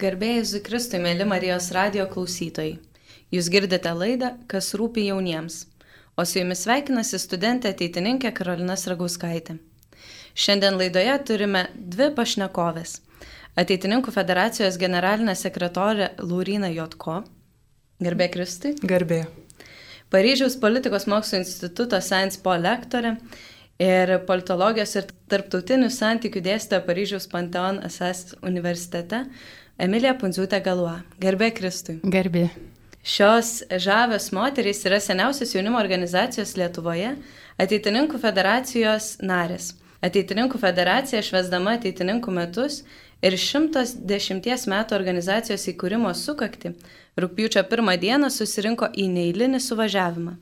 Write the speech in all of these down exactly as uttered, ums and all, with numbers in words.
Garbė Jėzui Kristui, mėly Marijos radijo klausytojai. Jūs girdite laidą, kas rūpi jauniems. O su jumis sveikinasi studentė ateitininkė Karolina Sragauskaitė. Šiandien laidoje turime dvi pašnekovės. Ateitininkų federacijos generalinė sekretorė Lauryna Jotko. Garbė Kristui. Garbė. Paryžiaus politikos mokslo instituto Sciences Po lektorė ir politologijos ir tarptautinių santykių dėstytoja Paryžiaus Panteon Assas universitete Emilija Pundziūtė Galua. Garbė Kristui. Garbė. Šios žavios moterys yra seniausios jaunimo organizacijos Lietuvoje, Ateitininkų federacijos narės. Ateitininkų federacija švęsdama ateitininkų metus ir šimtas dešimties metų organizacijos įkūrimo sukakti rugpjūčio pirmą dieną susirinko į neeilinį suvažiavimą.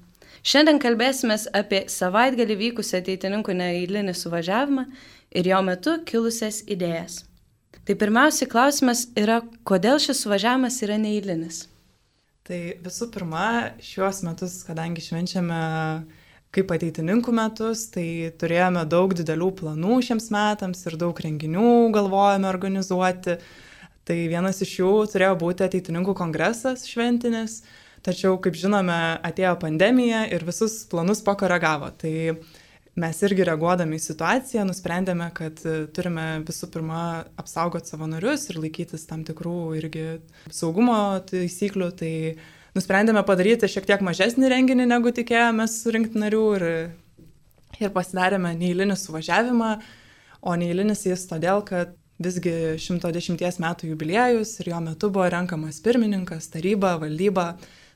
Šiandien kalbėsimės apie savaitgalį vykusią ateitininkų neeilinį suvažiavimą ir jo metu kilusias idėjas. Tai pirmiausiai klausimas yra, kodėl šis suvažiavimas yra neeilinis? Tai visų pirma, šiuos metus, kadangi švenčiame kaip ateitininkų metus, tai turėjome daug didelių planų šiems metams ir daug renginių galvojame organizuoti. Tai vienas iš jų turėjo būti ateitininkų kongresas šventinis, tačiau, kaip žinome, atėjo pandemija ir visus planus pakoregavo. Tai mes irgi reaguodami į situaciją nusprendėme, kad turime visų pirma apsaugoti savo narius ir laikytis tam tikrų irgi saugumo taisyklių. Tai nusprendėme padaryti šiek tiek mažesnį renginį, negu tikėjomės surinkti narių ir, ir pasidarėme neeilinį suvažiavimą, o neeilinis jis todėl, kad visgi šimto dešimties metų jubiliejus ir jo metu buvo renkamas pirmininkas, taryba, valdyba,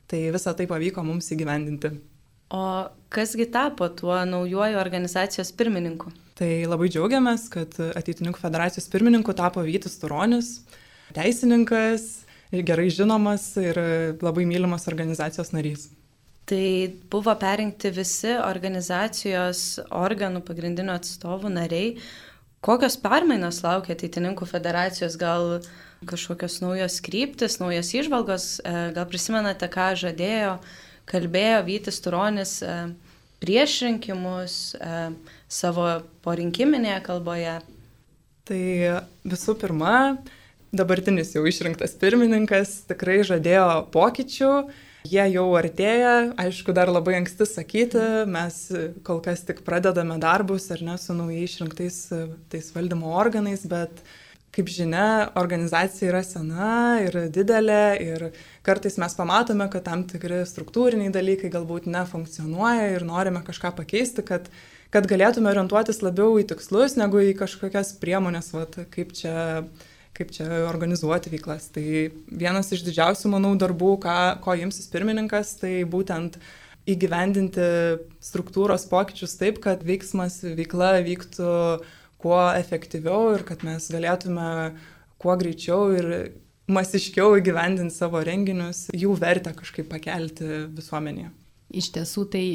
tai visą tai pavyko mums įgyvendinti. O kasgi tapo tuo naujuoju organizacijos pirmininku? Tai labai džiaugiamės, kad Ateitininkų federacijos pirmininku tapo Vytis Turonis, teisininkas ir gerai žinomas ir labai mylimas organizacijos narys. Tai buvo perrinkti visi organizacijos organų pagrindinių atstovų nariai. Kokios permainos laukia Ateitininkų federacijos, gal kažkokios naujos kryptis, naujos įžvalgos, gal prisimenate, ką žadėjo, kalbėjo Vytis Turonis prieš rinkimus savo porinkiminėje kalboje? Tai visų pirma, dabartinis jau išrinktas pirmininkas tikrai žadėjo pokyčių, jie jau artėja, aišku, dar labai anksti sakyti, mes kol kas tik pradedame darbus ar ne su naujai išrinktais tais valdymo organais, bet kaip žinia, organizacija yra sena ir didelė ir kartais mes pamatome, kad tam tikri struktūriniai dalykai galbūt nefunkcionuoja ir norime kažką pakeisti, kad, kad galėtume orientuotis labiau į tikslus, negu į kažkokias priemonės, vat, kaip čia, kaip čia organizuoti veiklas. Tai vienas iš didžiausių, manau, darbų, ką, ko imsis pirmininkas, tai būtent įgyvendinti struktūros pokyčius taip, kad veiksmas, veikla vyktų kuo efektyviau ir kad mes galėtume kuo greičiau ir masiškiau įgyvendinti savo renginius, jų vertę kažkaip pakelti visuomenėje. Iš tiesų tai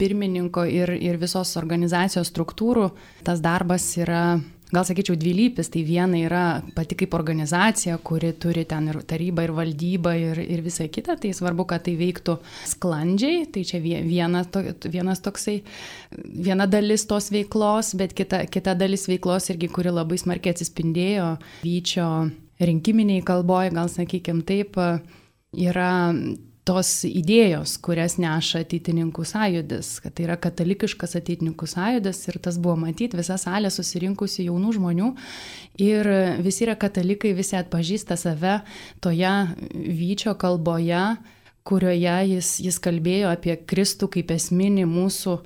pirmininko ir, ir visos organizacijos struktūrų tas darbas yra, gal sakyčiau, dvilypis. Tai viena yra pati kaip organizacija, kuri turi ten ir tarybą, ir valdybą, ir, ir visą kitą. Tai svarbu, kad tai veiktų sklandžiai. Tai čia viena, to, vienas toksai, viena dalis tos veiklos, bet kita, kita dalis veiklos irgi, kuri labai smarkiai atsispindėjo Vyčio rinkiminiai kalboje, gal sakykime taip, yra tos idėjos, kurias neša Ateitininkų sąjūdis, kad tai yra katalikiškas Ateitininkų sąjūdis ir tas buvo matyti, visa salė susirinkusi jaunų žmonių ir visi yra katalikai, visi atpažįsta save toje Vyčio kalboje, kurioje jis, jis kalbėjo apie Kristų kaip esminį mūsų,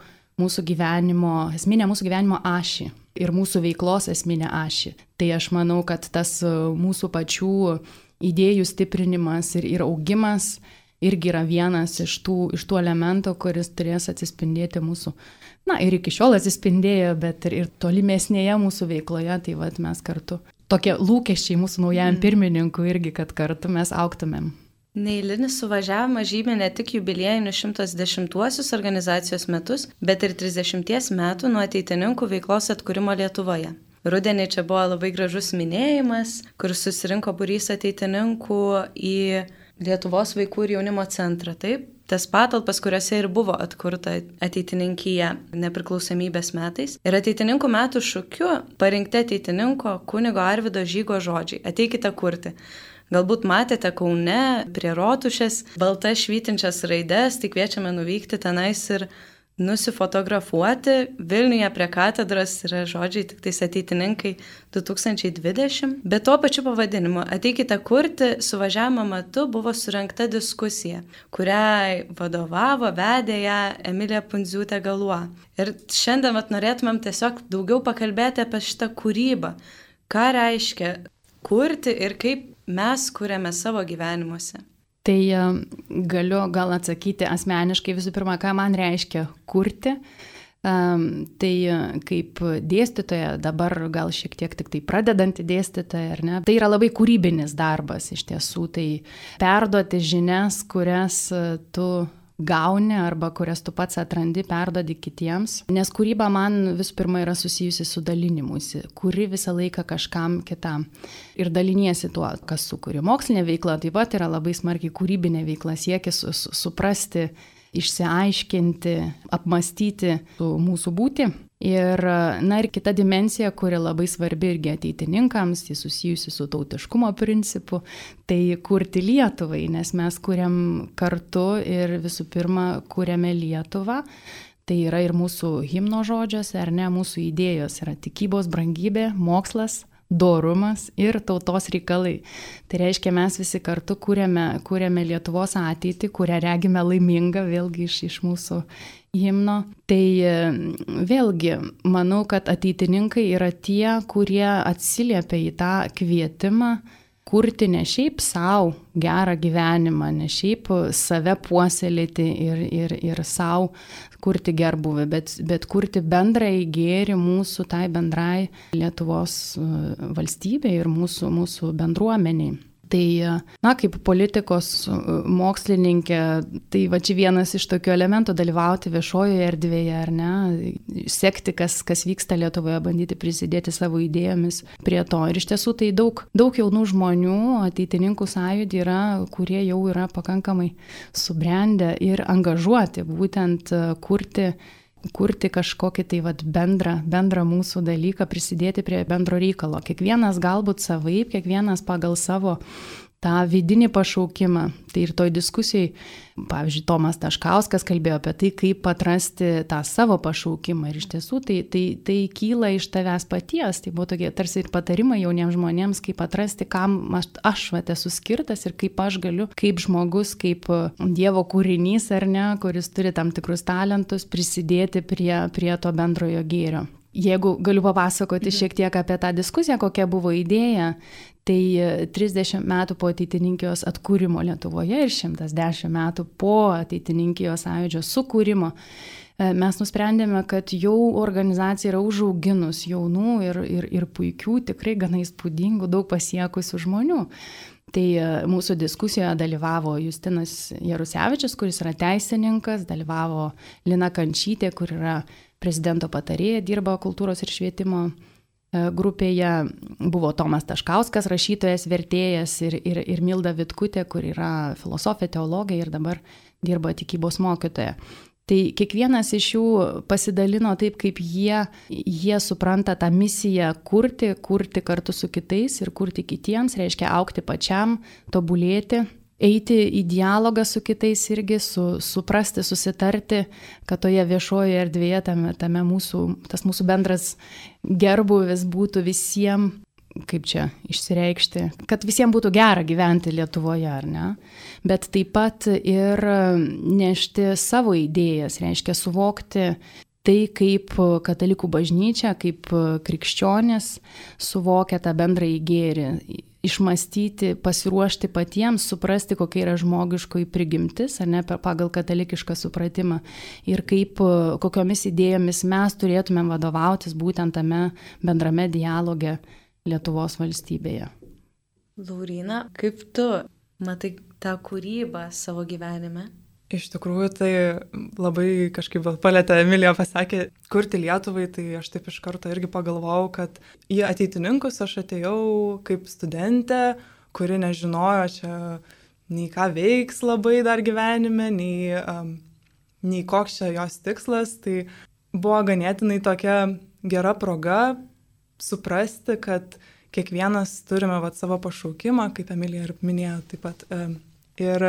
mūsų gyvenimo, esminę mūsų gyvenimo ašį ir mūsų veiklos esminę ašį. Tai aš manau, kad tas mūsų pačių idėjų stiprinimas ir, ir augimas irgi yra vienas iš tų, iš tų elementų, kuris turės atsispindėti mūsų, na ir iki šiol atsispindėjo, bet ir, ir tolimesnėje mūsų veikloje, tai vat mes kartu, tokie lūkesčiai mūsų naujajam pirmininkui irgi, kad kartu mes augtumėm. Neeilinis suvažiavimas žymė ne tik jubiliejinius šimtas dešimtuosius organizacijos metus, bet ir trisdešimties metų nuo ateitininkų veiklos atkūrimo Lietuvoje. Rudenį čia buvo labai gražus minėjimas, kur susirinko būrys ateitininkų į Lietuvos vaikų ir jaunimo centrą, taip? tas patalpas, kuriuose ir buvo atkurta ateitininkija nepriklausomybės metais. Ir ateitininkų metų šūkiu parinkti ateitininko kunigo Arvydo Žygo žodžiai: ateikite kurti. Galbūt matėte Kaune prie Rotušės baltas švytinčias raides, tai kviečiame nuvykti tenais ir nusifotografuoti. Vilniuje prie katedros yra žodžiai tik tais ateitininkai du tūkstančiai dvidešimt. Bet tuo pačiu pavadinimu ateikite kurti suvažiavimo metu buvo surengta diskusija, kuriai vadovavo, vedė ją Emilija Pundziūtė Galuo. Ir šiandien vat, norėtumėm tiesiog daugiau pakalbėti apie šitą kūrybą. Ką reiškia kurti ir kaip mes kuriame savo gyvenimuose. Tai galiu gal atsakyti asmeniškai visų pirma, ką man reiškia kurti. Tai kaip dėstytoja, dabar gal šiek tiek tik tai pradedanti dėstytoja, ar ne? Tai yra labai kūrybinis darbas iš tiesų. Tai perduoti žinias, kurias tu gauni arba kurias tu pats atrandi, perduodi kitiems. Nes kūryba man visų pirma yra susijusi su dalinimusi, kuri visą laiką kažkam kitam. Ir daliniesi tuo, kas sukuri. Mokslinė veikla taip pat yra labai smarkiai kūrybinė veikla, siekis su, su, suprasti, išsiaiškinti, apmastyti mūsų būtį. Ir, na, ir kita dimensija, kuri labai svarbi irgi ateitininkams, tai susijusi su tautiškumo principu, tai kurti Lietuvai, nes mes kuriam kartu ir visų pirma kuriame Lietuvą. Tai yra ir mūsų himno žodžiuose, ar ne, mūsų idėjos yra tikybos brangybė, mokslas, dorumas ir tautos reikalai. Tai reiškia, mes visi kartu kuriame, kuriame Lietuvos ateitį, kurią regime laimingą, vėlgi iš, iš mūsų himno. Tai vėlgi, manau, kad ateitininkai yra tie, kurie atsiliepia į tą kvietimą kurti ne šiaip savo gerą gyvenimą, ne šiaip save puoselėti ir, ir, ir savo kurti gerbuvį, bet, bet kurti bendrąjį gėrį mūsų tai bendrai Lietuvos valstybei ir mūsų, mūsų bendruomeniai. Tai, na, kaip politikos mokslininkė, tai va čia vienas iš tokių elementų dalyvauti viešojoje erdvėje, ar ne, sekti, kas, kas vyksta Lietuvoje, bandyti prisidėti savo idėjomis prie to. Ir iš tiesų tai daug, daug jaunų žmonių, ateitininkų sąjūdį yra, kurie jau yra pakankamai subrendę ir angažuoti, būtent kurti kurti kažkokį tai vat, bendrą, bendrą mūsų dalyką, prisidėti prie bendro reikalo. Kiekvienas galbūt savaip, kiekvienas pagal savo tą vidinį pašaukimą. Tai ir toj diskusijai, pavyzdžiui, Tomas Taškauskas kalbėjo apie tai, kaip atrasti tą savo pašaukimą. Ir iš tiesų tai, tai, tai kyla iš tavęs paties. Tai buvo tokie tarsi ir patarimai jauniems žmonėms, kaip atrasti, kam aš, aš vat, esu skirtas ir kaip aš galiu, kaip žmogus, kaip Dievo kūrinys, ar ne, kuris turi tam tikrus talentus, prisidėti prie, prie to bendrojo gėrio. Jeigu galiu papasakoti šiek tiek apie tą diskusiją, kokia buvo idėja, tai trisdešimt metų po ateitininkijos atkūrimo Lietuvoje ir šimtas dešimt metų po ateitininkijos sąjūdžio sukūrimo mes nusprendėme, kad jau organizacija yra užauginus jaunų ir, ir, ir puikių, tikrai gana įspūdingų, daug pasiekusių žmonių. Tai mūsų diskusijoje dalyvavo Justinas Jarusevičius, kuris yra teisininkas, dalyvavo Lina Kančytė, kur yra prezidento patarėja, dirba kultūros ir švietimo grupėje, buvo Tomas Taškauskas, rašytojas, vertėjas ir, ir, ir Milda Vitkutė, kur yra filosofė, teologė ir dabar dirba tikybos mokytoja. Tai kiekvienas iš jų pasidalino taip, kaip jie, jie supranta tą misiją kurti, kurti kartu su kitais ir kurti kitiems, reiškia augti pačiam, tobulėti, eiti į dialogą su kitais irgi, su, suprasti, susitarti, kad toje viešojoje erdvėje tame, tame mūsų, tas mūsų bendras gerbuvis būtų visiems, kaip čia išsireikšti, kad visiems būtų gera gyventi Lietuvoje, ar ne? Bet taip pat ir nešti savo idėjas, reiškia suvokti tai, kaip katalikų bažnyčia, kaip krikščionės suvokia tą bendrąjį gėrį, išmastyti, pasiruošti patiems, suprasti, kokia yra žmogiškoji prigimtis, ar ne, pagal katalikišką supratimą ir kaip, kokiomis idėjomis mes turėtumėm vadovautis būtent tame bendrame dialoge Lietuvos valstybėje. Lauryna, kaip tu matai tą kūrybą savo gyvenime? Iš tikrųjų, tai labai kažkaip palėtė, Emilija pasakė, kurti Lietuvai, tai aš taip iš karto irgi pagalvojau, kad į ateitininkus aš atėjau kaip studentė, kuri nežinojo čia nei ką veiks labai dar gyvenime, nei, um, nei koks čia jos tikslas. Tai buvo ganėtinai tokia gera proga suprasti, kad kiekvienas turime vat, savo pašaukimą, kaip Emilija ir minėjo taip pat. Ir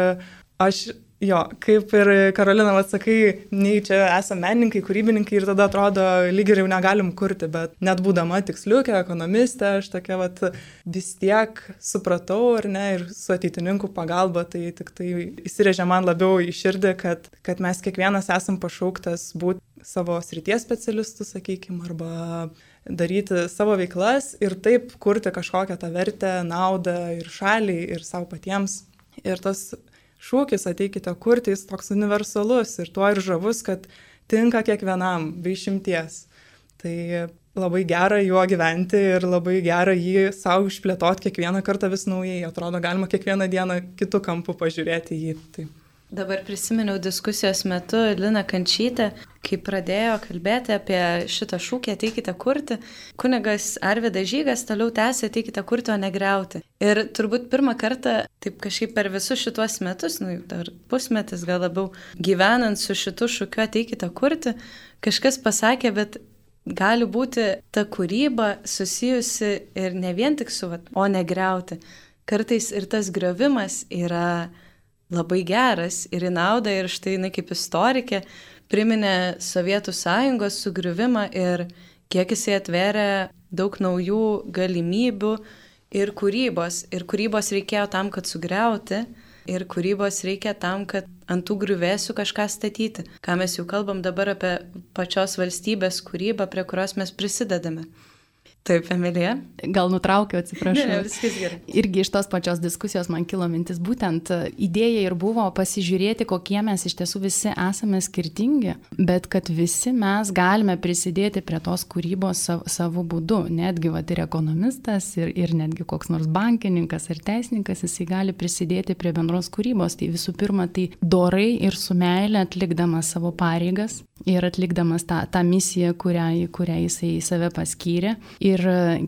aš, jo, kaip ir Karolina, vat, sakai, nei čia esame menininkai, kūrybininkai ir tada atrodo, lyg ir jau negalim kurti, bet net būdama tiksliukė, ekonomistė, aš tokia vat, vis tiek supratau, ar ne, ir su ateitininkų pagalba, tai tik tai įsirėžė man labiau į širdį, kad, kad mes kiekvienas esam pašauktas būti savo srities specialistų, sakykime, arba daryti savo veiklas ir taip kurti kažkokią tą vertę, naudą ir šaliai, ir savo patiems. Ir tas šūkis ateikite kurti, jis toks universalus ir tuo ir žavus, kad tinka kiekvienam, be išimties. Tai labai gera juo gyventi ir labai gera jį savo išplėtoti kiekvieną kartą vis naujai. Atrodo, galima kiekvieną dieną kitų kampų pažiūrėti jį. Tai. Dabar prisiminiau diskusijos metu Liną Kančytę, kai pradėjo kalbėti apie šitą šūkį ateikite kurti. Kunigas Arvydas Žygas toliau tęsė ateikite kurti, o ne griauti. Ir turbūt pirmą kartą, taip kažkaip per visus šituos metus, nu, dar pusmetis gal labiau, gyvenant su šitu šūkiu ateikite kurti, kažkas pasakė, bet gali būti ta kūryba susijusi ir ne vien tik su, o ne griauti. Kartais ir tas griovimas yra labai geras ir į naudą, ir štai jinai kaip istorikė priminė Sovietų sąjungos sugriuvimą ir kiek jisai atvėrė daug naujų galimybių ir kūrybos. Ir kūrybos reikėjo tam, kad sugriauti, ir kūrybos reikia tam, kad ant tų griuvėsių kažką statyti. Ką mes jau kalbam dabar apie pačios valstybės kūrybą, prie kurios mes prisidedame. Taip, Emilija. Gal nutraukiau, atsiprašau. Ne, viskas gerai. Irgi iš tos pačios diskusijos man kilo mintis, būtent idėja ir buvo pasižiūrėti, kokie mes iš tiesų visi esame skirtingi, bet kad visi mes galime prisidėti prie tos kūrybos sav, savo būdu. Netgi vat, ir ekonomistas, ir, ir netgi koks nors bankininkas ar teisininkas, jisai gali prisidėti prie bendros kūrybos. Tai visų pirma, tai dorai ir su meile atlikdamas savo pareigas ir atlikdamas tą, tą misiją, kurią, kurią jisai save paskyrė. Ir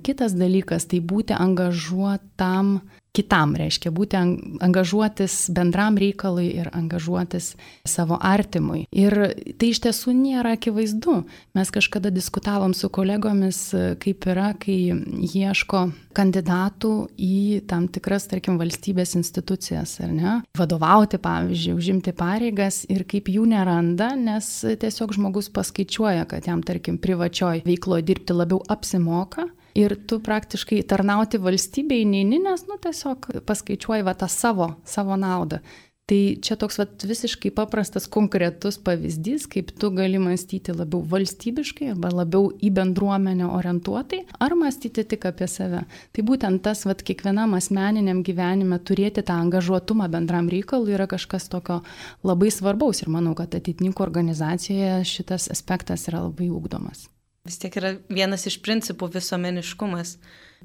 kitas dalykas, tai būti angažuotam kitam, reiškia būti angažuotis bendram reikalui ir angažuotis savo artimui. Ir tai iš tiesų nėra akivaizdu. Mes kažkada diskutavom su kolegomis, kaip yra, kai ieško kandidatų į tam tikras, tarkim, valstybės institucijas, ar ne? Vadovauti, pavyzdžiui, užimti pareigas ir kaip jų neranda, nes tiesiog žmogus paskaičiuoja, kad jam, tarkim, privačioj veikloje dirbti labiau apsimoka. Ir tu praktiškai tarnauti valstybei neini, nes, nu, tiesiog paskaičiuoji va tą savo, savo naudą. Tai čia toks va visiškai paprastas, konkretus pavyzdys, kaip tu gali mąstyti labiau valstybiškai arba labiau į bendruomenę orientuotai, ar mąstyti tik apie save. Tai būtent tas va kiekvienam asmeniniam gyvenime turėti tą angažuotumą bendram reikalui yra kažkas tokio labai svarbaus. Ir manau, kad ateitininkų organizacijoje šitas aspektas yra labai ūgdomas. Vis tiek yra vienas iš principų visuomeniškumas,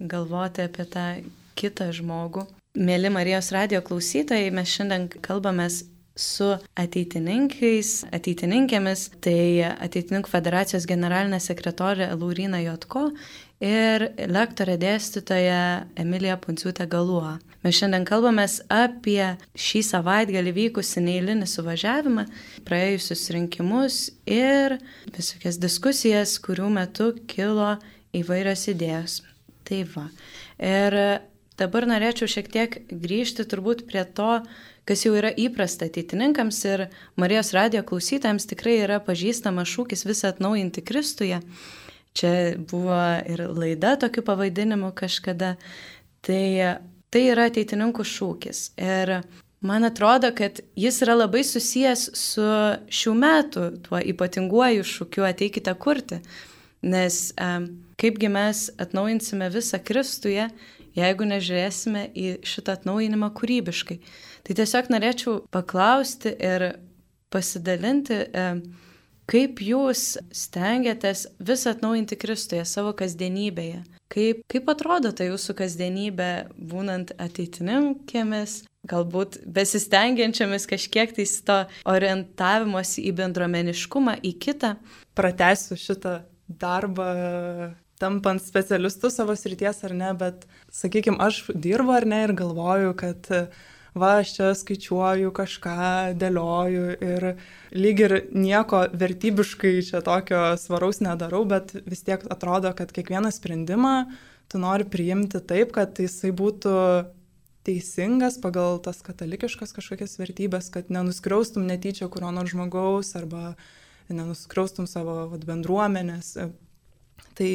galvoti apie tą kitą žmogų. Mėly Marijos radijo klausytojai, mes šiandien kalbamės su ateitininkais, ateitininkėmis, tai Ateitininkų federacijos generalinė sekretorė Lauryna Jotko ir lektorė dėstytoja Emilija Punciūtė Galuo. Mes šiandien kalbamės apie šį savaitgalį vykusį neeilinį suvažiavimą, praėjusius rinkimus ir visokias diskusijas, kurių metu kilo įvairios idėjos. Tai va. Ir dabar norėčiau šiek tiek grįžti turbūt prie to, kas jau yra įprasta ateitininkams ir Marijos radijo klausytojams tikrai yra pažįstamas šūkis visą atnaujinti Kristuje. Čia buvo ir laida tokiu pavadinimu kažkada. Tai, tai yra ateitininkų šūkis. Ir man atrodo, kad jis yra labai susijęs su šių metų tuo ypatinguoju šūkiu ateikite kurti. Nes kaipgi mes atnaujinsime visą Kristuje, jeigu nežiūrėsime į šitą atnaujinimą kūrybiškai. Tai tiesiog norėčiau paklausti ir pasidalinti, kaip jūs stengiatės visą atnaujinti Kristuje savo kasdienybėje. Kaip, kaip atrodo ta jūsų kasdienybė, būnant ateitininkėmis, galbūt besistengiančiamis kažkiek tais to orientavimosi į bendruomeniškumą, į kitą. Pratęsiu šitą darbą, tampant specialistu savo srities ar ne, bet, sakykime, aš dirbu ar ne ir galvoju, kad va, aš čia skaičiuoju, kažką dėlioju ir lyg ir nieko vertybiškai čia tokio svaraus nedarau, bet vis tiek atrodo, kad kiekvieną sprendimą tu nori priimti taip, kad jisai būtų teisingas pagal tas katalikiškas kažkokias vertybės, kad nenuskriaustum netyčia kurio nors žmogaus arba nenuskriaustum savo vat, bendruomenės. Tai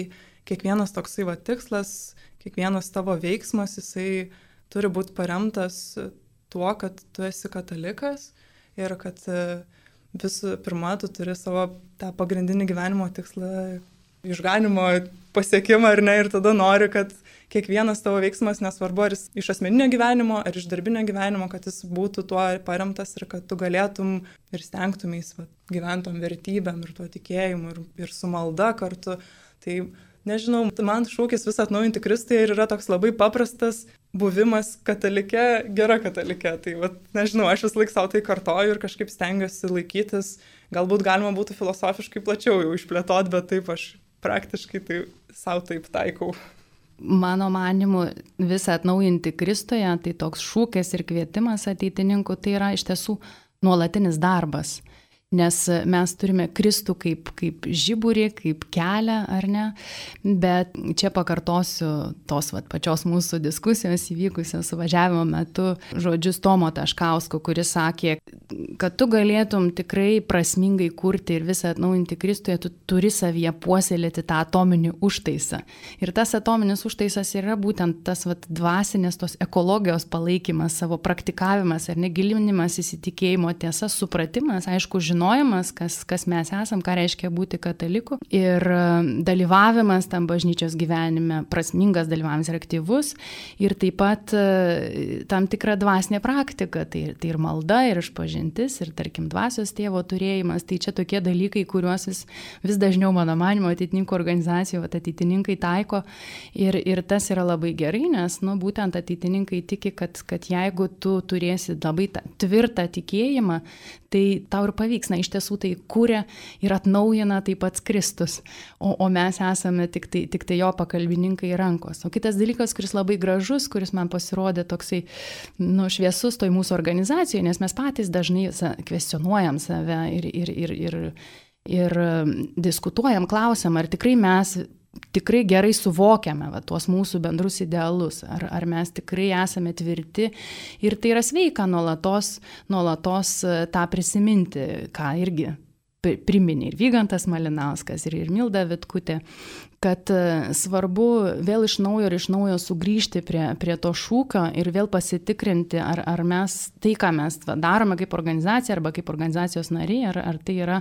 kiekvienas toksai va, tikslas, kiekvienas tavo veiksmas, jisai turi būti paremtas tuo, kad tu esi katalikas ir kad visų pirma, tu turi savo tą pagrindinį gyvenimo tikslą, išganimo pasiekimą ar ne, ir tada nori, kad kiekvienas tavo veiksmas, nesvarbu ar jis iš asmeninio gyvenimo, ar iš darbinio gyvenimo, kad jis būtų tuo paremtas ir kad tu galėtum ir stengtumės va, gyventom vertybėm ir tuo tikėjimu ir, ir su malda kartu. Tai nežinau, man šūkis vis atnaujinti Kristą ir yra toks labai paprastas buvimas katalike, gera katalike. Tai va, nežinau, aš vis laik savo tai kartoju ir kažkaip stengiuosi laikytis. Galbūt galima būtų filosofiškai plačiau jau išplėtoti, bet taip aš praktiškai tai savo taip taikau. Mano manimu, visą atnaujinti Kristuje, tai toks šūkis ir kvietimas ateitininkų, tai yra iš tiesų nuolatinis darbas. Nes mes turime Kristų kaip, kaip žiburį, kaip kelią, ar ne? Bet čia pakartosiu tos vat, pačios mūsų diskusijos įvykusios suvažiavimo metu žodžius Tomo Taškausko, kuris sakė, kad tu galėtum tikrai prasmingai kurti ir visą atnaujinti Kristuje, tu turi savyje puoselėti tą atominį užtaisą. Ir tas atominis užtaisas yra būtent tas vat, dvasinės tos ekologijos palaikymas, savo praktikavimas ar negilinimas įsitikėjimo tiesa, supratimas, aišku, žinojimas, žinojimas, kas, kas mes esam, ką reiškia būti kataliku ir dalyvavimas tam bažnyčios gyvenime, prasmingas dalyvavimas ir aktyvus ir taip pat tam tikra dvasinė praktika, tai, tai ir malda, ir išpažintis, ir tarkim dvasios tėvo turėjimas, tai čia tokie dalykai, kuriuos vis, vis dažniau mano manimo ateitininkų organizacijų, ateitininkai taiko ir, ir tas yra labai gerai, nes nu, būtent ateitininkai tiki, kad, kad jeigu tu turėsi labai tvirtą tikėjimą, tai tau ir pavyks. Na, iš tiesų tai kūrė ir atnaujina taip pats Kristus, o, o mes esame tik tai, tik tai jo pakalbininkai rankos. O kitas dalykas, kuris labai gražus, kuris man pasirodė toksai nu, šviesus toj mūsų organizacijoje, nes mes patys dažnai kvestionuojam save ir, ir, ir, ir, ir diskutuojam, klausiam, ar tikrai mes tikrai gerai suvokiame va, tuos mūsų bendrus idealus, ar, ar mes tikrai esame tvirti ir tai yra sveika nuolatos, nuolatos tą prisiminti, ką irgi priminė ir Vygantas Malinauskas, ir, ir Milda Vitkutė, kad svarbu vėl iš naujo ir iš naujo sugrįžti prie, prie to šūkio ir vėl pasitikrinti, ar, ar mes tai, ką mes darome kaip organizacija arba kaip organizacijos nariai, ar, ar tai, yra,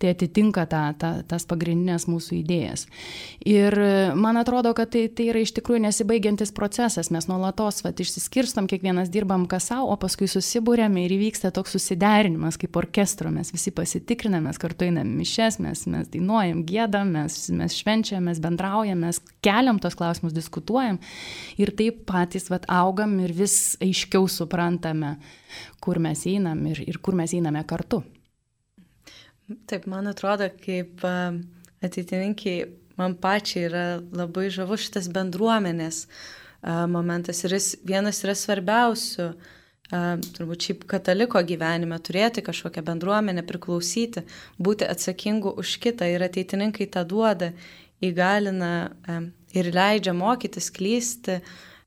tai atitinka ta, ta, tas pagrindinės mūsų idėjas. Ir man atrodo, kad tai, tai yra iš tikrųjų nesibaigiantis procesas. Mes nuolatos vat, išsiskirstam, kiekvienas dirbam kas savo, o paskui susibūrėme ir įvyksta toks susiderinimas kaip orkestro. Mes visi pasitikriname, mes kartu einam mišias, mes, mes dainuojam, giedam, mes, mes švenčiam, mes bendraujam, mes keliam tos klausimus, diskutuojam ir taip patys vat, augam ir vis aiškiau suprantame, kur mes einam ir, ir kur mes einame kartu. Taip, man atrodo, kaip ateitininkiai, man pačiai yra labai žavus šitas bendruomenės momentas ir jis vienas yra svarbiausių, turbūt šiaip kataliko gyvenime, turėti kažkokią bendruomenę, priklausyti, būti atsakingu už kitą ir ateitininkai tą duoda, įgalina ir leidžia mokytis, klysti,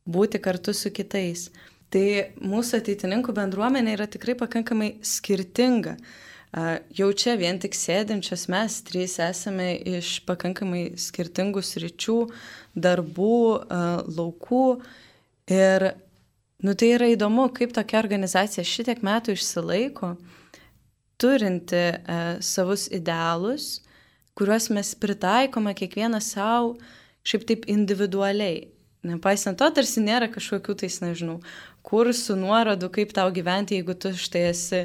būti kartu su kitais. Tai mūsų ateitininkų bendruomenė yra tikrai pakankamai skirtinga. Jau čia vien tik sėdinčios mes trys esame iš pakankamai skirtingų sričių, darbų, laukų. Ir nu, tai yra įdomu, kaip tokia organizacija šitiek metų išsilaiko, turinti savus idealus, kuriuos mes pritaikome kiekvieną savo šiaip taip individualiai. Nepaisant to, tarsi nėra kažkokių tais, nežinau, kursų, nuorodų, kaip tau gyventi, jeigu tu štai esi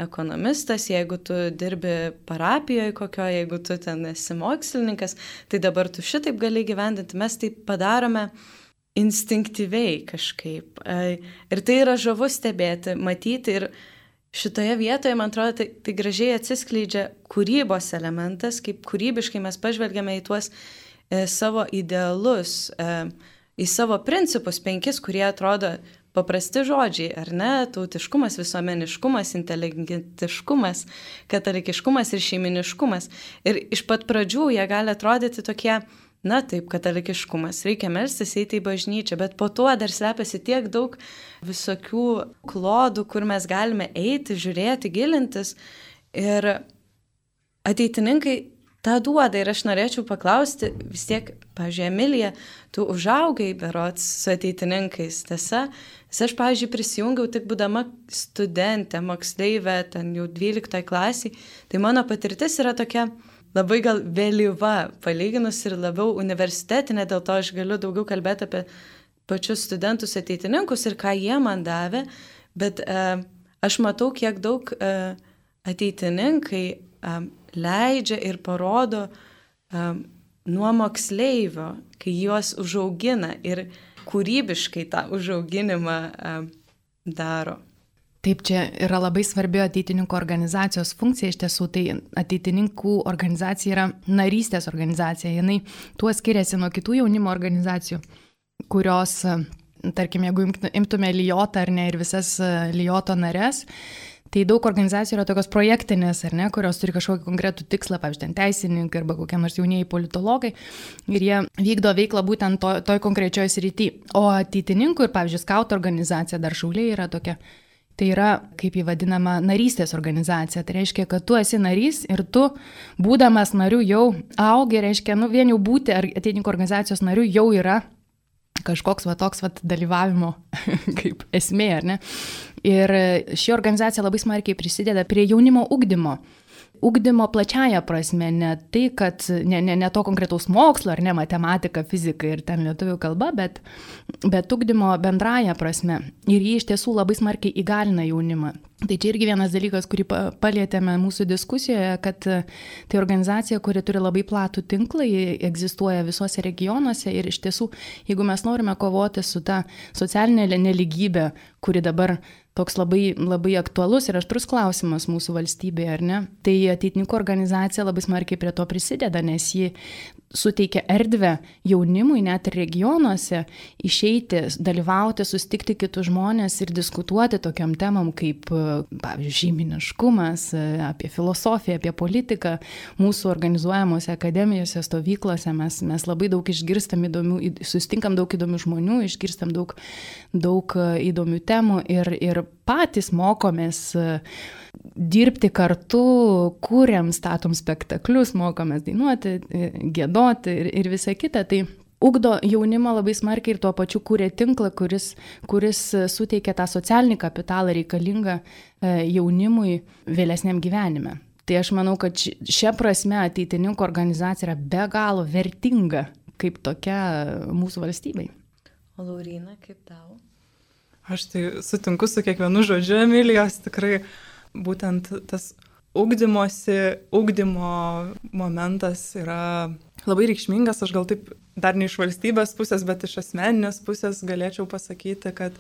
ekonomistas, jeigu tu dirbi parapijoje kokioje, jeigu tu ten esi mokslininkas, tai dabar tu šitaip gali gyvendinti. Mes tai padarome instinktyviai kažkaip. Ir tai yra žavu stebėti, matyti ir šitoje vietoje, man atrodo, tai, tai gražiai atsiskleidžia kūrybos elementas, kaip kūrybiškai mes pažvelgiame į tuos e, savo idealus, e, į savo principus penkis, kurie atrodo paprasti žodžiai, ar ne? Tautiškumas, visuomeniškumas, inteligentiškumas, katalikiškumas ir šeiminiškumas. Ir iš pat pradžių jie gali atrodyti tokie, na taip, katalikiškumas, reikia melstis, eiti į bažnyčią, bet po to dar slepiasi tiek daug visokių klodų, kur mes galime eiti, žiūrėti, gilintis. Ir ateitininkai tą duoda ir aš norėčiau paklausti, vis tiek, pavyzdžiui, Emilija, tu užaugai berods su ateitininkais, tiesa? Nes aš, pavyzdžiui, prisijungiau tik būdama studentė, moksleivė, ten jau dvyliktoje klasiai, tai mano patirtis yra tokia labai gal vėlyva, palyginus ir labiau universitetinė, dėl to aš galiu daugiau kalbėti apie pačius studentus ateitininkus ir ką jie man davė, bet e, aš matau, kiek daug e, ateitininkai e, leidžia ir parodo e, nuo moksleivio, kai juos užaugina ir kūrybiškai tą užauginimą e, daro. Taip, čia yra labai svarbi ateitininkų organizacijos funkcija, iš tiesų tai ateitininkų organizacija yra narystės organizacija, jinai tuo skiriasi nuo kitų jaunimo organizacijų, kurios, tarkim, jeigu imtume Lijotą ar ne ir visas Lijoto nares, tai daug organizacijų yra tokios projektinės, ar ne, kurios turi kažkokį konkretų tikslą, pavyzdžiui, ten teisininkai arba kokie nors jaunieji politologai, ir jie vykdo veiklą būtent to, toj konkrečioje srityje. O ateitininkų ir, pavyzdžiui, skautų organizacija, dar Šauliai yra tokia. Tai yra, kaip jį vadinama, narystės organizacija. Tai reiškia, kad tu esi narys ir tu, būdamas nariu, jau augi, reiškia, nu, vien jau būti ateitininkų organizacijos nariu jau yra kažkoks va toks va dalyvavimo kaip esmė, ar ne? Ir ši organizacija labai smarkiai prisideda prie jaunimo ugdymo. Ugdymo plačiaja prasme, ne tai, kad ne, ne, ne to konkretaus mokslo, ar ne matematika, fizika ir ten lietuvių kalba, bet, bet ugdymo bendraja prasme. Ir jį iš tiesų labai smarkiai įgalina jaunimą. Tai čia irgi vienas dalykas, kurį palietėme mūsų diskusijoje, kad tai organizacija, kuri turi labai platų tinklą, egzistuoja visuose regionuose ir iš tiesų, jeigu mes norime kovoti su ta socialinė neligybė, kuri dabar toks labai, labai aktualus ir aštrus klausimas mūsų valstybėje, ar ne? Tai ateitininkų organizacija labai smarkiai prie to prisideda, nes ji suteikia erdvę jaunimui net ir regionuose išeiti, dalyvauti, susitikti kitus žmonės ir diskutuoti tokiam temam kaip, pavyzdžiui, šeiminiškumas, apie filosofiją, apie politiką. Mūsų organizuojamuose akademijose, stovyklose mes, mes labai daug išgirstam įdomių, susitinkam daug įdomių žmonių, išgirstam daug, daug įdomių temų ir, ir patys mokomės dirbti kartu, kūrėm, statom spektaklius, mokomės dainuoti, giedoti ir, ir visa kita. Tai ugdo jaunimą labai smarkiai ir tuo pačiu kūrė tinklą, kuris, kuris suteikia tą socialinį kapitalą reikalingą jaunimui vėlesniam gyvenime. Tai aš manau, kad šia prasme ateitininkų organizacija yra be galo vertinga kaip tokia mūsų valstybei. O Lauryna, kaip tau? Aš tai sutinku su kiekvienu žodžiu Emilijos, tikrai būtent tas ugdymosi, ugdymo momentas yra labai reikšmingas. Aš gal taip dar ne iš valstybės pusės, bet iš asmeninės pusės galėčiau pasakyti, kad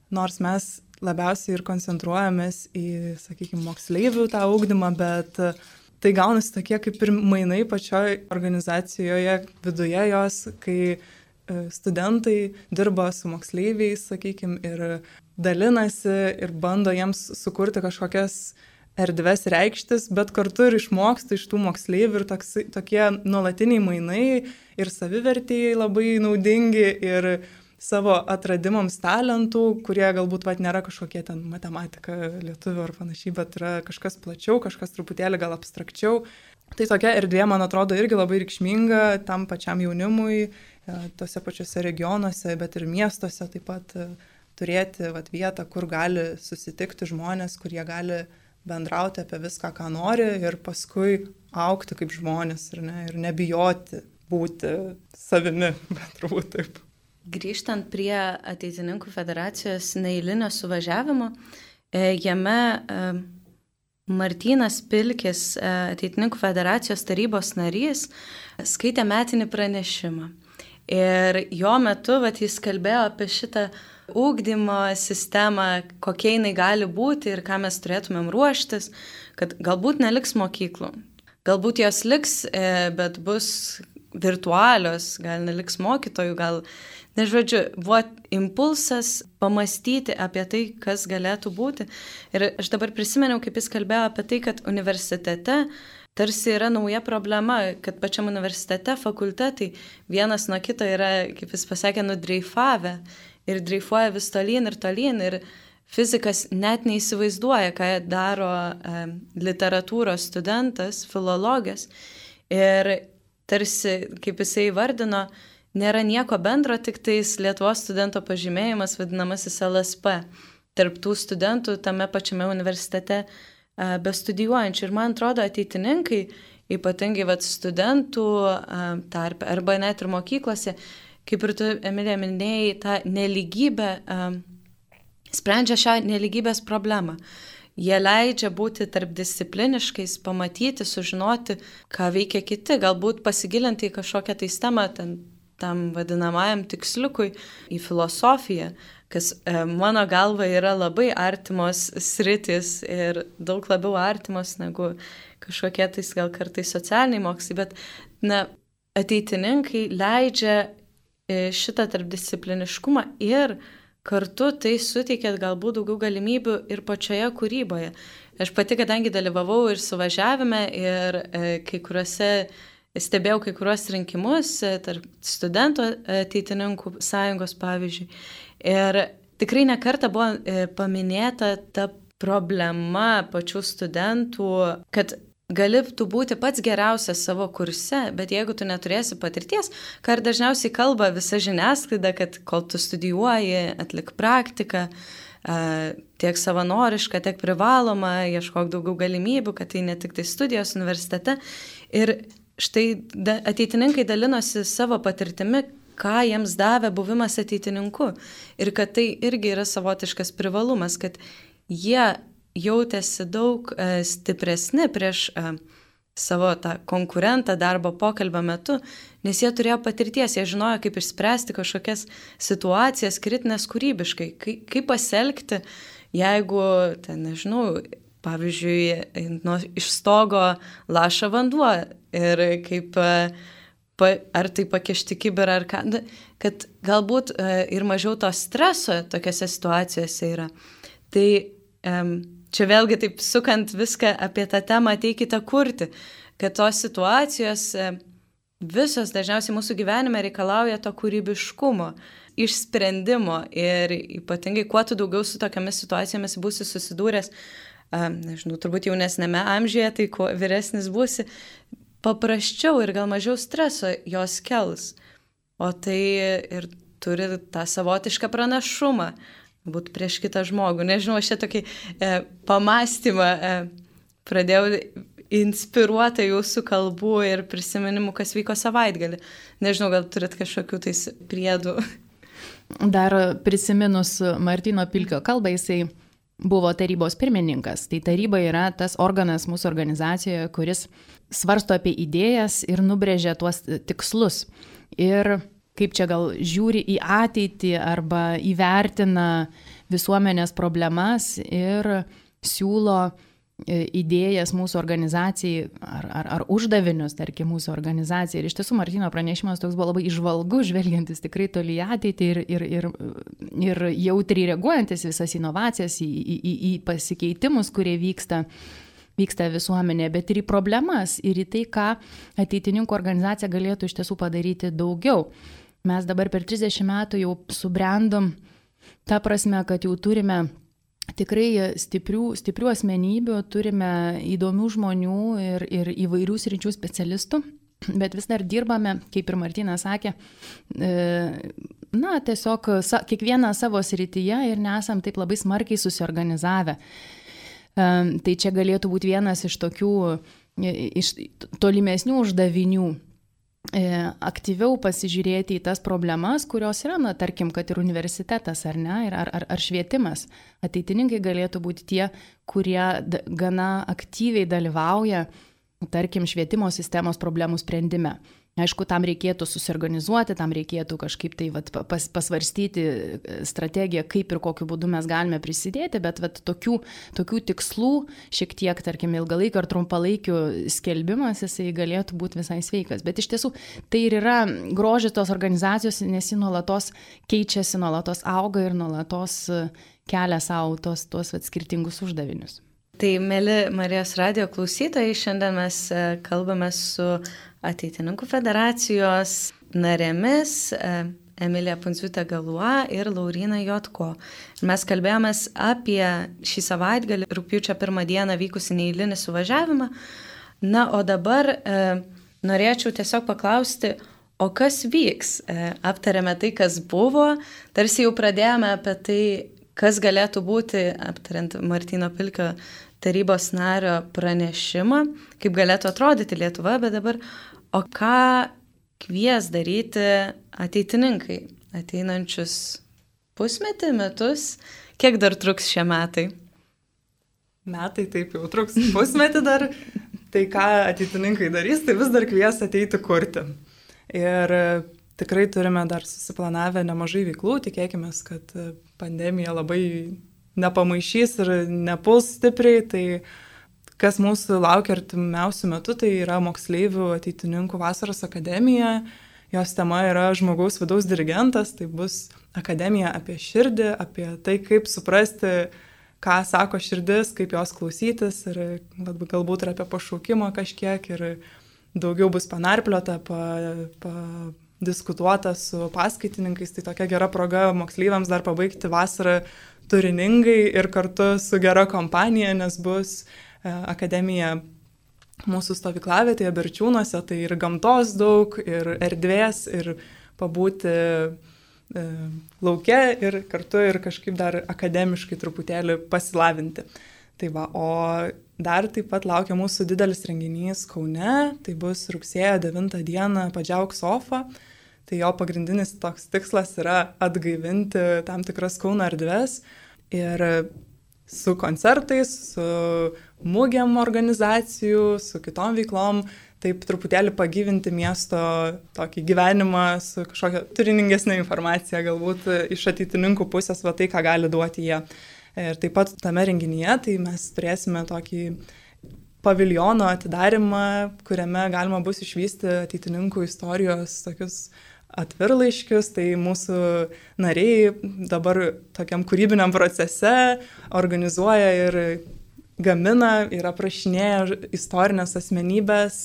nors mes labiausiai ir koncentruojamės į, sakykime, moksleivių tą ugdymą, bet tai gaunasi tokie kaip ir mainai pačioj organizacijoje, viduje jos, kai studentai dirba su moksleiviais, sakykime, ir dalinasi ir bando jiems sukurti kažkokias erdves reikštis, bet kartu ir išmoksta iš tų moksleivių ir toks, tokie nuolatiniai mainai ir savivertėjai labai naudingi ir savo atradimams talentų, kurie galbūt vat, nėra kažkokie ten matematika, lietuvių ar panašiai, bet yra kažkas plačiau, kažkas truputėlį gal abstrakčiau. Tai tokia erdvė, man atrodo, irgi labai reikšminga tam pačiam jaunimui, tose pačiose regionuose, bet ir miestuose taip pat turėti vat, vietą, kur gali susitikti žmonės, kurie gali bendrauti apie viską, ką nori ir paskui augti kaip žmonės ir, ne, ir nebijoti būti savimi, bet turbūt taip. Grįžtant prie Ateitininkų federacijos neeilinio suvažiavimo, jame Martynas Pilkis, Ateitininkų federacijos tarybos narys, skaitė metinį pranešimą. Ir jo metu vat, jis kalbėjo apie šitą ugdymo sistemą, kokia jinai gali būti ir ką mes turėtumėm ruoštis, kad galbūt neliks mokyklų. Galbūt jos liks, bet bus virtualios, gal neliks mokytojų, gal, nežodžiu, buvo impulsas pamastyti apie tai, kas galėtų būti. Ir aš dabar prisimeniau, kaip jis kalbėjo apie tai, kad universitete tarsi yra nauja problema, kad pačiam universitete fakultetai vienas nuo kito yra, kaip jis pasakė, nudreifavę ir dreifuoja vis tolyn ir tolyn. Ir fizikas net neįsivaizduoja, ką daro e, literatūros studentas, filologas. Ir tarsi, kaip jisai įvardino, nėra nieko bendro, tik tais Lietuvos studento pažymėjimas, vadinamasis L S P, tarp tų studentų tame pačiame universitete e, bestudijuojančių. Ir man atrodo, ateitininkai, ypatingai vat, studentų e, tarpe, arba net ir mokyklose, kaip ir tu, Emilija, minėjai, tą nelygybę, um, sprendžia šią nelygybės problemą. Jie leidžia būti tarpdiscipliniškais, pamatyti, sužinoti, ką veikia kiti, galbūt pasigilinti į kažkokią tai temą, ten, tam vadinamajam tiksliukui, į filosofiją, kas e, mano galva yra labai artimos sritis ir daug labiau artimos negu kažkokie tais gal kartais socialiniai mokslai, bet na, ateitininkai leidžia šitą tarpdiscipliniškumą ir kartu tai suteikia galbūt daugiau galimybių ir pačioje kūryboje. Aš pati, kadangi dalyvavau ir suvažiavime, ir e, kai kuriuose, stebėjau kai kuriuos rinkimus tarp studentų ateitininkų sąjungos, pavyzdžiui. Ir tikrai nekartą buvo e, paminėta ta problema pačių studentų, kad gali tu būti pats geriausias savo kurse, bet jeigu tu neturėsi patirties, ką ir dažniausiai kalba visa žiniasklaida, kad kol tu studijuoji, atlik praktiką, tiek savanorišką, tiek privalomą, ieškok daugiau galimybių, kad tai ne tik tai studijos universitete. Ir štai ateitininkai dalinosi savo patirtimi, ką jiems davė buvimas ateitininku. Ir kad tai irgi yra savotiškas privalumas, kad jie jautėsi daug e, stipresni prieš e, savo tą konkurentą darbo pokalbio metu, nes jie turėjo patirties, jie žinojo, kaip išspręsti kažkokias situacijas kritinės kūrybiškai, kaip, kaip pasielgti, jeigu, ten, nežinau, pavyzdžiui, nuo iš stogo laša vanduo ir kaip, pa, ar tai pakišti kibirą ar ką, kad galbūt e, ir mažiau to streso tokiose situacijose yra. Tai e, čia vėlgi taip sukant viską apie tą temą ateikite kurti, kad tos situacijos visos dažniausiai mūsų gyvenime reikalauja to kūrybiškumo, išsprendimo ir ypatingai kuo tu daugiau su tokiamis situacijomis būsi susidūręs, nežinau, turbūt jaunesnėme amžiuje, tai kuo vyresnis būsi, paprasčiau ir gal mažiau streso jos kels, o tai ir turi tą savotišką pranašumą būt prieš kitą žmogų. Nežinau, aš čia tokį e, pamastymą e, pradėjau inspiruotą jūsų kalbų ir prisiminimų, kas vyko savaitgalį. Nežinau, gal turit kažkokių tais priedų. Dar prisiminus Martyno Pilkio kalbą, jisai buvo tarybos pirmininkas. Tai taryba yra tas organas mūsų organizacijoje, kuris svarsto apie idėjas ir nubrėžia tuos tikslus. Ir kaip čia gal žiūri į ateitį arba įvertina visuomenės problemas ir siūlo idėjas mūsų organizacijai ar, ar, ar uždavinius, tarkim, mūsų organizacijai. Ir iš tiesų Martyno pranešimas toks buvo labai įžvalgus, žvelgiantis tikrai toli į ateitį ir, ir, ir, ir jautriai reaguojantis visas inovacijas, į, į, į pasikeitimus, kurie vyksta. vyksta visuomenė, bet ir į problemas, ir į tai, ką ateitininkų organizacija galėtų iš tiesų padaryti daugiau. Mes dabar per trisdešimt metų jau subrendom tą prasme, kad jau turime tikrai stiprių, stiprių asmenybių, turime įdomių žmonių ir, ir įvairių sričių specialistų, bet vis dar dirbame, kaip ir Martynas sakė, na, tiesiog kiekvieną savo srityje ir nesam taip labai smarkiai susiorganizavę. Tai čia galėtų būti vienas iš tokių, iš tolimesnių uždavinių, aktyviau pasižiūrėti į tas problemas, kurios yra, na, tarkim, kad ir universitetas, ar ne, ar, ar, ar švietimas. Ateitininkai galėtų būti tie, kurie gana aktyviai dalyvauja, tarkim, švietimo sistemos problemų sprendime. Aišku, tam reikėtų susiorganizuoti, tam reikėtų kažkaip tai vat, pas, pasvarstyti strategiją, kaip ir kokiu būdu mes galime prisidėti, bet vat, tokių, tokių tikslų, šiek tiek, tarkim, ilgalaikio ar trumpalaikių skelbimas, jisai galėtų būti visai sveikas. Bet iš tiesų, tai ir yra grožis tos organizacijos, nes ji nuolatos keičiasi, nuolatos auga ir nuolatos kelia savo tos, tos vat, skirtingus uždavinius. Tai, mėly Marijos radijo klausytojai, šiandien mes kalbame su Ateitininkų federacijos narėmis Emilija Pundziūtė Galua ir Lauryna Jotko. Mes kalbėjomės apie šį savaitgalį, rugpjūčio pirmą dieną vykusi neeilinį suvažiavimą. Na, o dabar e, norėčiau tiesiog paklausti, o kas vyks? E, aptarėme tai, kas buvo, tarsi jau pradėjome apie tai, kas galėtų būti, aptariant Martyno Pilkio tarybos nario pranešimą, kaip galėtų atrodyti Lietuva, bet dabar, o ką kvies daryti ateitininkai ateinančius pusmetį, metus, kiek dar truks šie metai? Metai taip jau truks pusmetį dar, tai ką ateitininkai darys, tai vis dar kvies ateiti kurti. Ir tikrai turime dar susiplanavę nemažai veiklų, tikėkime, kad pandemija labai nepamaišys ir nepuls stipriai, tai kas mūsų laukia artimiausių metų, tai yra moksleivių ateitininkų vasaros akademija. Jos tema yra žmogaus vidaus dirigentas, tai bus akademija apie širdį, apie tai, kaip suprasti, ką sako širdis, kaip jos klausytis ir galbūt ir apie pašaukimą kažkiek ir daugiau bus panarpliota, pa, pa, diskutuota su paskaitininkais, tai tokia gera proga moksleiviams dar pabaigti vasarą turiningai ir kartu su gera kompanija, nes bus akademija mūsų stovyklavietėje Berčiūnuose, tai ir gamtos daug, ir erdvės, ir pabūti e, lauke ir kartu ir kažkaip dar akademiškai truputėlį pasilavinti. Tai va, o dar taip pat laukia mūsų didelis renginys Kaune, tai bus rugsėjo devintą dieną Padžiauk sofa. Tai jo pagrindinis toks tikslas yra atgaivinti tam tikras Kauno erdves ir su koncertais, su mūgiam organizacijų, su kitom veiklom, taip truputėlį pagyvinti miesto tokį gyvenimą su kažkokia turiningesnė informacija, galbūt iš ateitininkų pusės, va tai, ką gali duoti jie. Ir taip pat tame renginyje, tai mes turėsime tokį paviljono atidarimą, kuriame galima bus išvysti ateitininkų istorijos tokius atvirlaiškius, tai mūsų nariai dabar tokiam kūrybiniam procese organizuoja ir gamina ir aprašinėja istorinės asmenybės,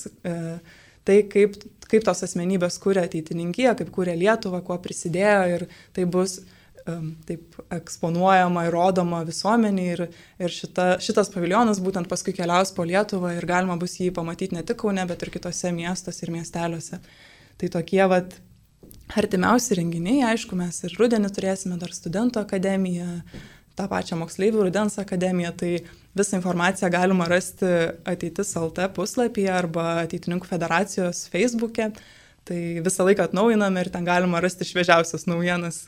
tai kaip, kaip tos asmenybės kūrė ateitininkiją, kaip kūrė Lietuvą, kuo prisidėjo ir tai bus taip eksponuojama ir rodoma visuomeniai ir, ir šita, šitas paviljonas būtent paskui keliaus po Lietuvą ir galima bus jį pamatyti ne tik Kaune, bet ir kitose miestuose ir miesteliuose. Tai tokie vat artimiausi renginiai, aišku, mes ir rudenį turėsime dar studentų akademiją, tą pačią moksleivių rudens akademiją, tai visą informaciją galima rasti Ateitis L T puslapyje arba Ateitininkų federacijos Facebook'e, tai visą laiką atnaujiname ir ten galima rasti šviežiausias naujienas,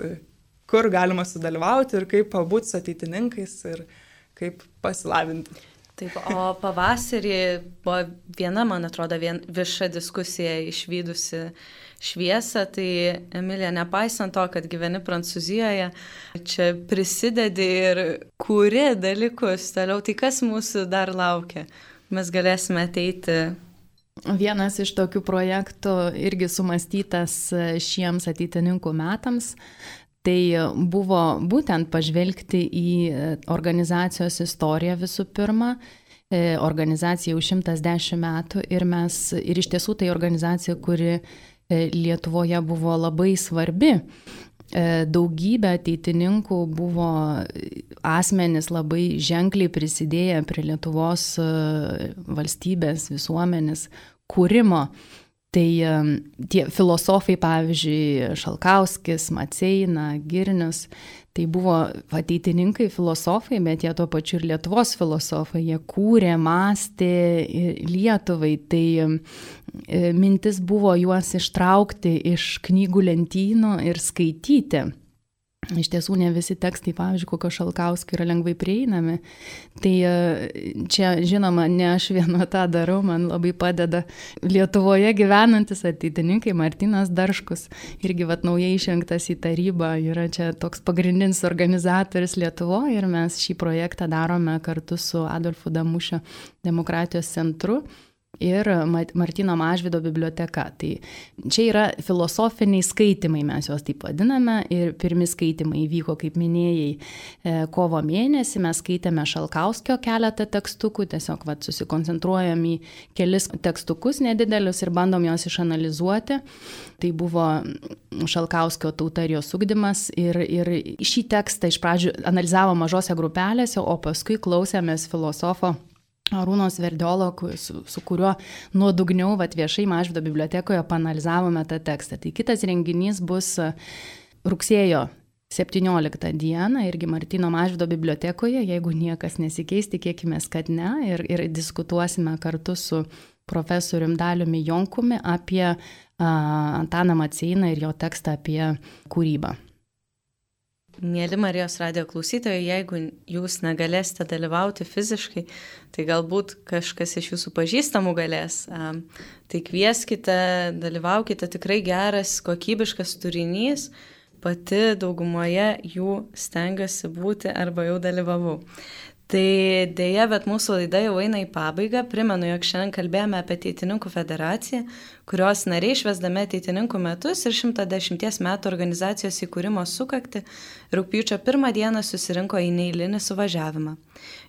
kur galima sudalyvauti ir kaip pabūti su ateitininkais ir kaip pasilavinti. Taip, o pavasarį buvo viena, man atrodo, vien, vieša diskusija išvydusi šviesą, tai Emilija, nepaisant to, kad gyveni Prancūzijoje, čia prisidedi ir kūri dalykus toliau, tai kas mūsų dar laukia? Mes galėsime ateiti. Vienas iš tokių projektų irgi sumastytas šiems ateitininkų metams. Tai buvo būtent pažvelgti į organizacijos istoriją visų pirma. Organizacija jau šimtas dešimt metų ir mes, ir iš tiesų tai organizacija, kuri Lietuvoje buvo labai svarbi. Daugybė ateitininkų buvo asmenys labai ženkliai prisidėję prie Lietuvos valstybės, visuomenės kūrimo. Tai tie filosofai, pavyzdžiui, Šalkauskis, Maceina, Girnius, tai buvo ateitininkai filosofai, bet jie tuo pačiu ir Lietuvos filosofai, jie kūrė, mąstė Lietuvai, tai mintis buvo juos ištraukti iš knygų lentynų ir skaityti. iš tiesų ne visi tekstai, pavyzdžiui, kokio Šalkauskio yra lengvai prieinami. Tai čia, žinoma, ne aš viena tą darau, man labai padeda Lietuvoje gyvenantis ateitininkai Martynas Darškus, irgi vat naujai išrinktas į tarybą, yra čia toks pagrindinis organizatorius Lietuvoje ir mes šį projektą darome kartu su Adolfu Damušio demokratijos centru ir Martyno Mažvydo biblioteka. Tai čia yra filosofiniai skaitimai, mes juos taip vadiname, ir pirmi skaitimai įvyko, kaip minėjai, kovo mėnesį, mes skaitėme Šalkauskio keletą tekstukų, tiesiog vat, susikoncentruojam į kelis tekstukus nedidelius ir bandom juos išanalizuoti. Tai buvo Šalkauskio Tauta ir jos ugdymas ir, ir šį tekstą iš pradžių analizavo mažose grupelėse, o paskui klausėmės filosofo Arūno Sverdiolo, su, su kuriuo nuodugniau vat, viešai Mažvydo bibliotekoje paanalizavome tą tekstą. Tai kitas renginys bus rugsėjo septynioliktą dieną, irgi Martyno Mažvydo bibliotekoje, jeigu niekas nesikeis, tikėkimės, kad ne, ir, ir diskutuosime kartu su profesorium Daliumi Jonkumi apie a, Antaną Maceiną ir jo tekstą apie kūrybą. Mėly Marijos radijo klausytojai, jeigu jūs negalėsite dalyvauti fiziškai, tai galbūt kažkas iš jūsų pažįstamų galės. Tai kvieskite, dalyvaukite, tikrai geras, kokybiškas turinys, pati daugumoje jų stengiuosi būti arba jau dalyvavau. Tai dėja, bet mūsų laida jau eina į pabaigą. Primenu, jog šiandien kalbėjome apie Ateitininkų federaciją, kurios nariai švęsdami Ateitininkų metus ir šimtą dešimties metų organizacijos įkūrimo sukakti rugpjūčio pirmą dieną susirinko į neeilinį suvažiavimą.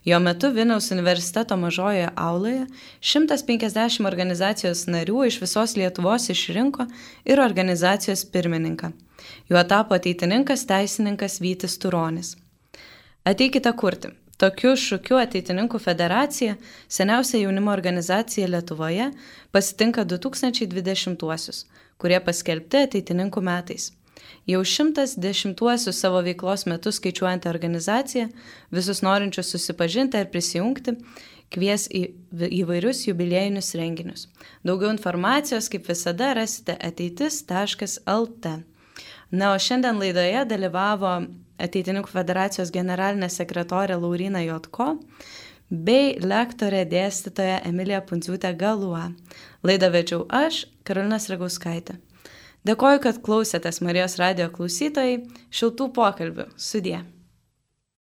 Jo metu Vilniaus universiteto mažojoje auloje šimtas penkiasdešimt organizacijos narių iš visos Lietuvos išrinko ir organizacijos pirmininką. Juo tapo ateitininkas teisininkas Vytis Turonis. Ateikite kurti. Tokiu šūkiu Ateitininkų federacija, seniausia jaunimo organizacija Lietuvoje, pasitinka du tūkstančiai dvidešimtuosius, kurie paskelbti Ateitininkų metais. Jau šimtas dešimtuosius savo veiklos metus skaičiuojantį organizaciją, visus norinčius susipažinti ir prisijungti, kvies į įvairius jubiliejinius renginius. Daugiau informacijos, kaip visada, rasite ateitis taškas el te. Na, o šiandien laidoje dalyvavo Ateitininkų federacijos generalinė sekretorė Lauryna Jotko bei lektorė dėstytoja Emilija Pundziūtė Galua. Laidą vedžiau aš, Karolina Sragauskaitė. Dėkoju, kad klausėtės Marijos radijo klausytojai, šiltų pokalbių. Sudie.